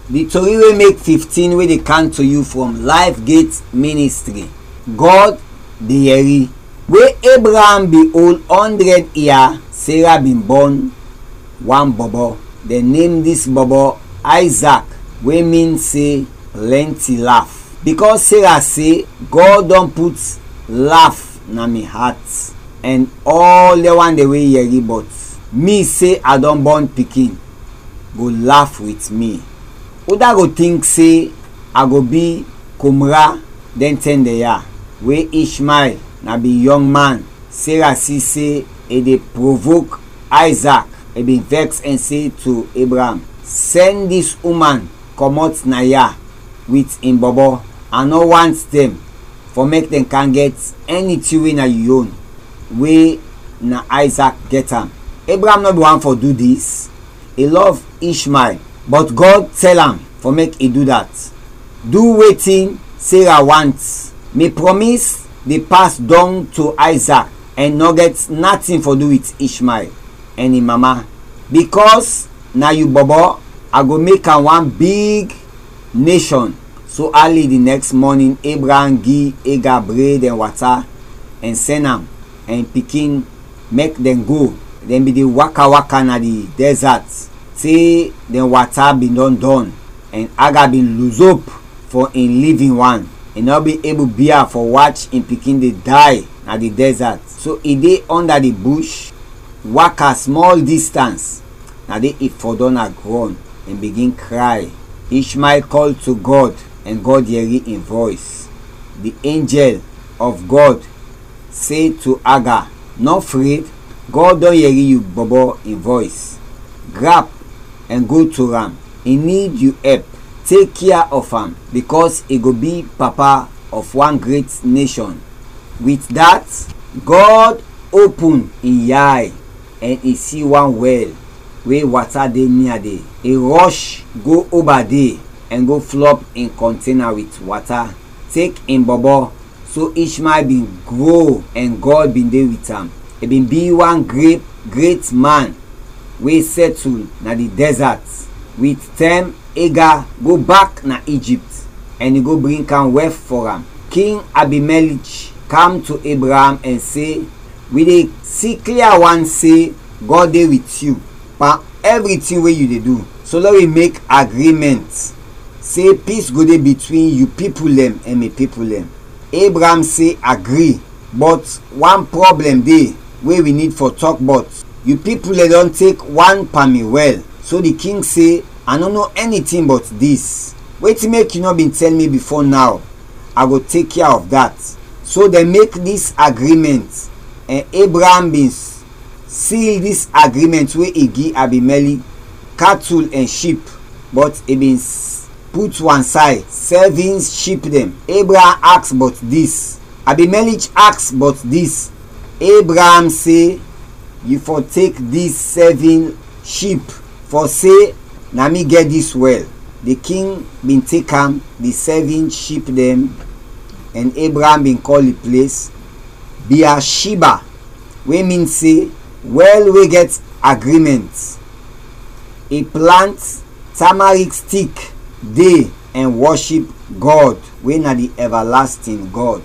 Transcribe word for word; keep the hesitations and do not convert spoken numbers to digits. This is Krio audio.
Di tori we mek fifteen we dey kam to yu from Life Gate Ministry. God de yɛri. We Abraham bin ol ɔndrɛd ia, Sarah bin bɔn wan bɔbɔ. Dɛn nem dis bɔbɔ Isaac, we min se plɛnti laf. Bikɔs Sarah se, God dɔn put laf na mi at, ɛn ɔl dɛn wan de we yɛri bɔt mi se a dɔn bɔn pikin, go laf wit mi. Uda go tink se a go bi komra dɛn tɛn dɛn ya, we Ishmael na bin yɔng man. Sarah si se i de provok Isaac, i bin vɛks ɛn se to Abraham, sɛn dis uman kɔmɔt na ya wit in bɔbɔ. A nɔ want dɛn fɔ mek dɛn kam gɛt ɛni tin we na yu yon, we na Isaac gɛt am. Abraham nɔ bin want fɔ du dis. I lɔv Ishmael, bɔt God tɛl am fɔ mek i du dat. Du wetin Sarah want. Mi prɔmis de pas dɔng to Isaac, ɛn nɔ gɛt natin fɔ du wit Ishmael ɛn in mama, bikɔs na yu bɔbɔ a go mek am wan big neshɔn. So ali di nɛks mɔnin, Abraham gi Aga bred ɛn wata ɛn sɛn am ɛn in pikin mɛk dɛn go. Dɛn bin de waka-waka na di dɛzat, te dɛn wata bin dɔn dɔn, ɛn Aga bin luzop fɔ in livin wan. I nɔ bin ebul bia fɔ wach in pikin de day na di dɛzat. So i de ɔnda di bush, waka smɔl distans, na de i fɔdɔm na grɔn ɛn bigin kray. Ishmael kɔl to Gɔd, ɛn Gɔd yɛri in vɔys. Di enjɛl of Gɔd se to Aga, "Nɔ fred, Gɔd dɔn yɛri yu bɔbɔ in vɔys. Grap ɛn go to am, i nid yu ɛp. Tek kia of am, bikɔs i go bi papa of wan gret neshɔn." Wit dat, Gɔd opun in yay ɛn i si wan wɛl we wata de nia de. I rɔsh go oba de ɛn go flɔp in kɔntena wit wata, tek in bɔbɔ. So Ishmael bin gro ɛn Gɔd bin de wit am. I bin bi wan gre-, gret man we sɛtul na di dɛzat. Wit tɛm, Aga go bak na Ijipt, ɛn i go bring kam wɛf fɔ am. King Abimelech kam to Abraham ɛn se, "Wi de si klia wan se Gɔd de wit yu pan ɛvritin we yu de du. So lɛ wi mek agrimɛnt se pis go de bitwin yu pipul dɛn ɛn mi pipul dɛn." Abraham se, "Agri, bɔt wan pwoblɛm de we wi nid fɔ tɔk bɔt. Yu pipul dɛn dɔn tek wan pan mi wɛl." So di king se, "A nɔ no ɛnitin bɔt dis. Wetin mek yu nɔ bin tɛl mi bifo naw? A go tek kia of dat." So dɛn mek dis agrimɛnt, ɛn Abraham bin s-, sil dis agrimɛnt we i gi Abimelech katul ɛn ship, bɔt i bin s-, put wan say sɛvin ship dɛn. Abraham aks bɔt dis. Abimelech aks bɔt dis. Abraham se, "Yu fɔ tek dis sɛvin ship, fɔ se na mi gɛt dis wɛl." Di king bin tek am, di sɛvin ship dɛn, ɛn Abraham bin kɔl di ples Beersheba, we min se, Wɛl we gɛt agrimɛnt. I plant tamarik stik de ɛn wɔship Gɔd, we na di ɛvalastin Gɔd.